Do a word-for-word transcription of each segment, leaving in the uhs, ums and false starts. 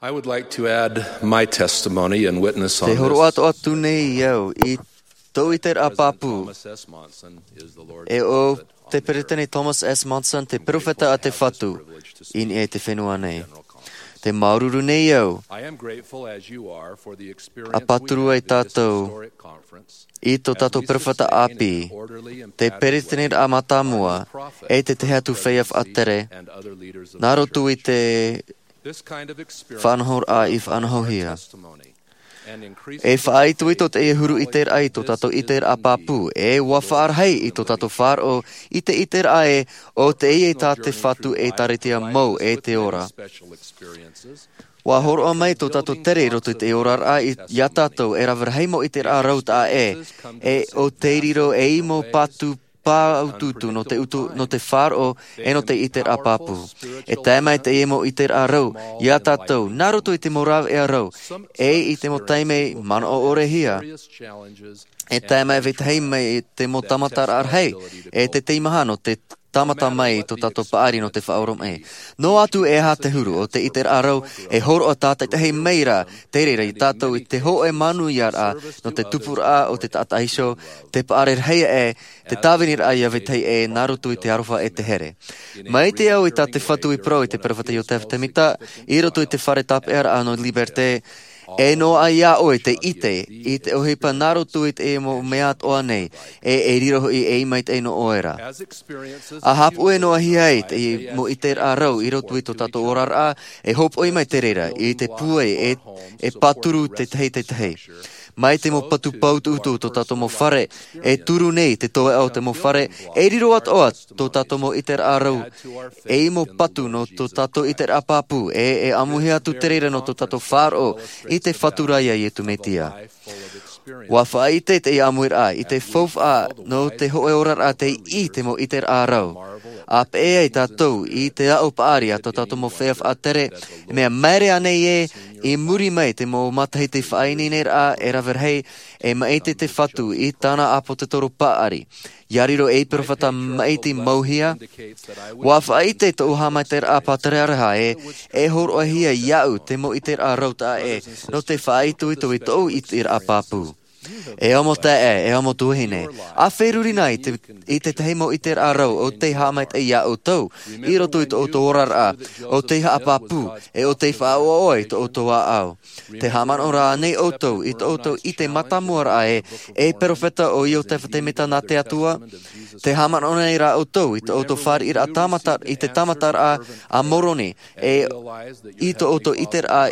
I would like to add my testimony and witness on Te hōroʻa this. Atoʻa atu nei au i tōʻu iteraʻa pāpū. Thomas S. Monson is the Lord's E ʻo prophet. Te Peresideni Thomas S. Monson, te perofeta a te Fatu, i niʻa i te fenua nei. Te māuruuru nei au. I am grateful as you are for the experience we had at this historic conference. I tō tātou perofeta ʻāpī, te peresideniraʻa mātāmua, e te tahi atu feiā faʻatere, nā roto i te faʻanahoraʻa i faʻanahohia. E faʻaitoito teie huru iteraʻa i tō tātou iteraʻa pāpū, e ʻua faʻarahi i tō tātou faʻaroʻo i te iteraʻa ē, ʻo teie tā te Fatu e ʻĒkālesia mau e te ora. ʻUa hōroʻa mai tō tātou tere i roto i te oraraʻa i, iā tātou e rave rahi mau iteraʻa rau taʻa ʻē, e ʻo tei riro ei mau patu pāutuutu nō te utu, nō te faʻaroʻo, e nō te iteraʻa pāpū. E tae mai teie mau iteraʻa rau iā tātou, nā roto i te mau rāveʻa rau, e i te mau taime manaʻo ʻore hia. E tae mai vetahi mai te mau tāmataraʻa rahi, e te teimaha nō te tāmata mai i tō tātou paʻari nō te faʻaoromaʻi. Noa atu e aha te huru o te iteraʻa rau, e hōroʻa tātaʻitahi mai ra, te reira iā tātou i te hōʻē manuiaraʻa, nō te tupuraʻa o te taʻata iho, te paʻari rahi ē, te tāviniraʻa iā vetahi ē, nā roto i te aroha e te here. Mai te au i tā te Fatu i parau i te perofeta Iotefa Temita, i roto i te fare tāpeʻaraʻa nō Liberté, e noaʻa iā ʻoe te ʻite i te ʻohipa nā roto i te mau mea atoʻa nei, e, e riro hoʻi ei maitaʻi nō ʻoe ra. ʻA haʻapuʻe noa hia ai te mau iteraʻa rau i roto i tō tātou oraraʻa, e hōpoʻi mai te reira, i te pūai, e, e pāturu te tahi te tahi. Mai te mau patu pāutuutu tō tātou mau fare, e turu nei te toeʻa o te mau fare, e riro atoʻa tō tātou mau iteraʻa rau, ei mau patu nō tō tātou iteraʻa pāpū, e, e ʻamuhia atu te reira nō tō tātou faʻaroʻo i te Fatu ra iā Iesu Mesia. ʻUa faʻaʻite te ʻāmuiraʻa, i te faufaʻa nō te hōʻē oraraʻa tei ʻī te mau iteraʻa rau. ʻA peʻe ai tātou i te aʻo paʻari a tō tātou mau feiā faʻatere, mea maere ānei ē, i muri mai te mau matahiti faʻaineineraʻa e rave rahi, e maʻiti te Fatu i tāna ʻāpōsetolo paʻari. ʻIa riro ei perofeta maʻiti mau hia. ʻUa faʻaʻite tōʻu haʻamaitaʻiraʻa pātere araha ē, e hōroʻahia iāʻu te mau iteraʻa rau taʻa ʻē, nō te faʻaitoito i tōʻu iteraʻa pāpū. E ʻāmui taeaʻe, e ʻāmui tuahine, ʻa feruri na i te, i te tahi mau iteraʻa rau ʻo tei haʻamaitaʻi iā ʻoutou, i roto i tō ʻoutou oraraʻa, ʻo tei haʻapāpū, e ʻo tei faʻaʻoaʻoa i tō ʻoutou ʻāʻau. Te haʻamanaʻo ra ānei ʻoutou i tō ʻoutou ʻite mātāmua ra ē, e perofeta ʻo Iotefa Temita nā te Atua? Te haʻamanaʻo nei ra ʻoutou i tō ʻoutou fāriʻiraʻa tāmata, i te tāmataraʻa a Moroni, e i tō ʻoutou iteraʻa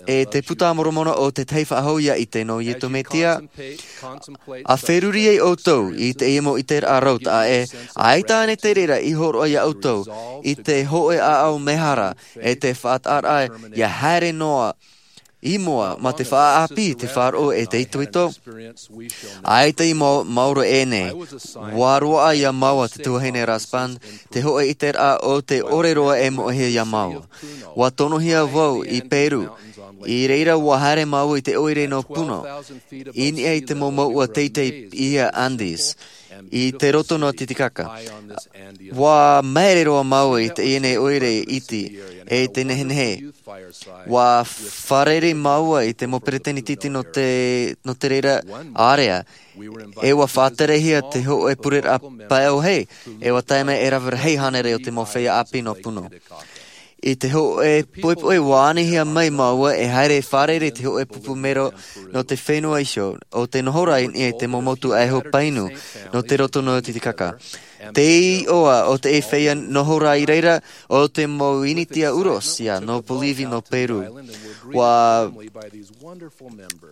e te Puta a Moromona ʻo te tahi faʻahou ʻia ʻite nō Iesu Mesia? ʻA feruri ai ʻoutou i teie mau iteraʻa rau taʻa ʻē, ʻaita ānei te reira i hōroʻa iā ʻoutou i te hōʻē ʻāʻau mehara, e te faʻataʻaraʻa ʻia haere noa i mua mā te faʻaʻāpī, te faʻaroʻo, e te itoito? ʻAita i mau, maoro ʻē nei. ʻUa roaʻa iā māua te tuahine Rasband, te hōʻē iteraʻa ʻo te ʻore roa e moʻehia iā māua. ʻUa tonohia vau i Peru. I reira ʻua haere māua i te ʻoire nō Puno, i niʻa i te mau mouʻa teitei i te Andes, i te roto nō Titicaca. ʻUa maere roa māua i teie nei ʻoire iti, e te nehenehe. ʻUa fārerei māua i te mau peresideni iti nō te, nō te reira ārea. E ʻua faʻaterehia te hōʻē pureraʻa pae ʻōhie, e ʻua tae mai e rave rahi hānere o te mau feiā ʻāpī nō Puno. I te hōʻē poʻipoʻi ʻua anihia mai māua e haere e fārerei te hōʻē pupu mero nō te fenua iho, ʻo tē noho ra i niʻa i te mau motu ʻaiho painu nō te roto nō Titicaca. Te iʻoa o te feiā noho ra i reira, ʻo te mau initia Uros ïa, nō Bolivia, nō Peru. ʻUa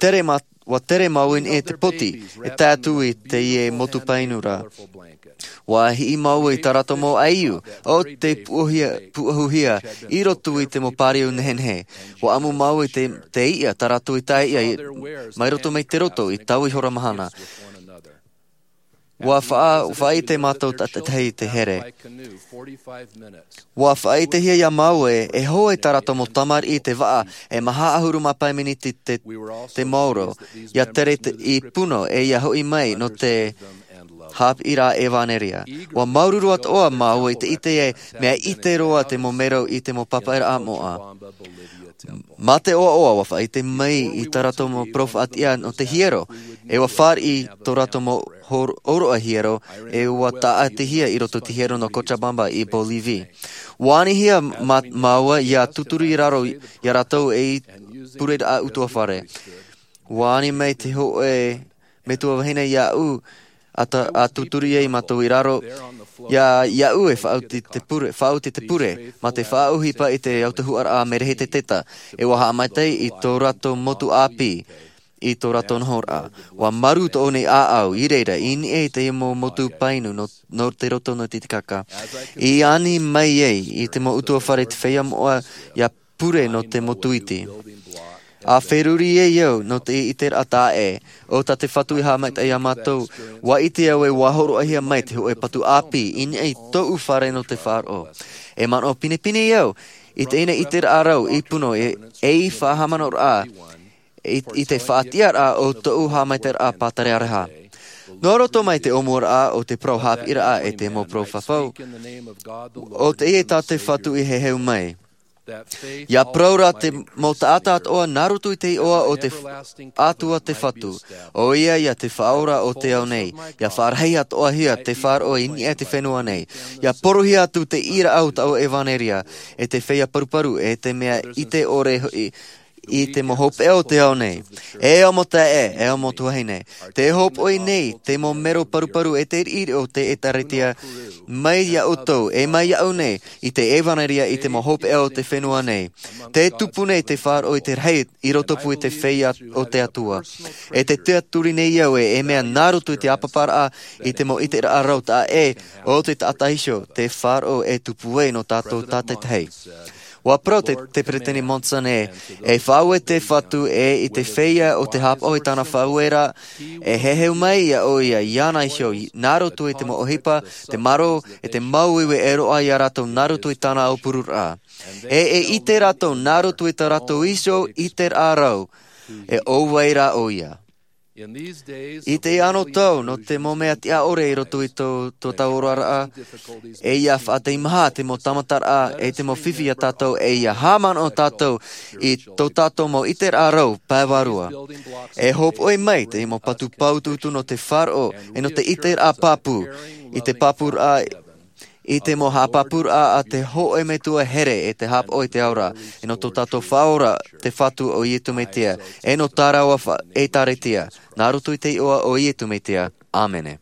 tere mā-, ʻua tere māua i niʻa i te poti, e tae atu i teie motu painu ra. ʻUa hiʻi māua i tā rātou mau ʻaiū, ʻo tē puʻohia-, puʻohuhia, i roto i te mau pāriu nehenehe. ʻUa ʻamu māua i te, te iʻa, tā rātou i tae iʻa i, mai roto mai te roto, i taua ihora mahana. ʻUa faʻa-, faʻaʻite mātou tātaʻitahi i te here. ʻUa faʻaʻitehia iā māua ē, e hoe tā rātou mau tamariʻi i te vaʻa, e maha ʻahuru mā pae miniti te, te maoro, ʻia tere te, i Puno, e ʻia hoʻi mai nō te, Haʻapiʻiraʻa ʻevanelia. Ua māuruuru atoʻa māua i te ʻite e mea ʻite roa te mau mero i te mau pāpaʻiraʻa moʻa. Mā te ʻoaʻoa ua faʻaʻite mai i tā rātou mau parau faʻatiʻa nō te hiero, e ua fāriʻi tō rātou mau hor-, ʻōroʻa hiero, e ua tāʻatihia i roto i te hiero nō Cochabamba i Bolivie. Ua anihia mā-, māua ʻia tūturu i raro iā rātou ei pureraʻa ʻutuāfare. Ua ani mai te hōʻē metua vahine iāʻu, ʻa ta-, ʻa tūturu ai mātou i raro, iā, iāʻu e faʻaoti te pure, faʻaoti te pure, mā te faʻaʻohipa i te autahuʻaraʻa a Merehete Teta, e ua haʻamaitaʻi i tō rātou motu ʻāpī, i tō rātou nohoraʻa. Ua marū tōʻu nei ʻāʻau, i reira, i niʻa i te mau motu painu nō, nō te roto nō Titicaca. I ani mai ai i te mau ʻutuāfare te feiā moʻa ʻia pure nō te motu iti. ʻA feruri ai au nō te ʻiteraʻa taʻa ʻē, ʻo tā te Fatu i haʻamaitaʻi iā mātou, ua ʻite au e ua hōroʻahia mai te hōʻē patu ʻāpī, i niʻa i tōʻu fare nō te faʻaroʻo. E manaʻo pinepine au, i teie ʻiteraʻa rau i Puno e, ei faʻahaʻamanaʻoraʻa, i, i te faʻatiʻaraʻa o tōʻu haʻamaitaʻiraʻa pātaraʻa. Nō roto mai te ʻōmuaraʻa o te parau haʻapiʻiraʻa e te mau parau fafau, ʻo teie tā te Fatu i heheu mai. ʻIa parau rā te mau taʻata atoʻa nā roto i te iʻoa o te F-, Atua te Fatu, ʻo ia ïa te Faʻaora o te ao nei, ʻia faʻarahi atoʻahia te faʻaroʻo i niʻa i te fenua nei, ʻia porohia atu te ʻīraʻa o taua ʻevanelia, e te feiā paruparu, e te mea ʻite ʻore hoʻi, i te mau hopeʻa o te ao nei. E ʻo mau taeaʻe, e ʻo mau tuahine, tē hōpoʻi nei te mau mero paruparu e te riʻiriʻi o te ʻĒtārētia, mai iā ʻoutou, e mai iāʻu nei, i te ʻevanelia i te mau hopeʻa o te fenua nei. Tē tupu nei te faʻaroʻo i te rahi i rotopū i te feiā o te Atua. E tē tiʻaturi nei au e, e mea nā roto i te ʻāpaparaʻa, i te mau ʻiteraʻa rau taʻa ʻē, ʻo te taʻata iho, te faʻaroʻo e tupu ai nō tātou tātaʻitahi. ʻUa parau te, te Peresideni Monson ē, e faʻaue te Fatu ē i te feiā o te haʻapaʻo i tāna faʻaueraʻa, e heheu mai iā ʻoia iāna iho, nā roto i te mau ʻohipa, te marō, e te māuiui e roaʻa iā rātou nā roto i tāna aupururaʻa. E, e ʻite rātou nā roto i tā rātou iho ʻiteraʻa rau, e ʻo vai rā ʻoia. I teie anotau, nō te mau mea tiʻa ʻore i roto i tō, tō tātou oraraʻa, e ʻia faʻateimaha te mau tāmataraʻa, e te mau fifi iā tātou, e ʻia haʻamanaʻo tātou i tō tātou mau ʻiteraʻa rau pae vārua. E hōpoʻi mai te mau patu pāutuutu nō te faʻaroʻo, e nō te ʻiteraʻa pāpū, i te pāpūraʻa, i te mau haʻapāpūraʻa a te hōʻē metua here e te haʻapaʻo i te ao ra, e nō tō tātou Faʻaora te Fatu ʻo Iesu Mesia, e nō tā rāua fa-, ʻĒtārētia, nā roto i te iʻoa o Iesu Mesia. ʻĀmene.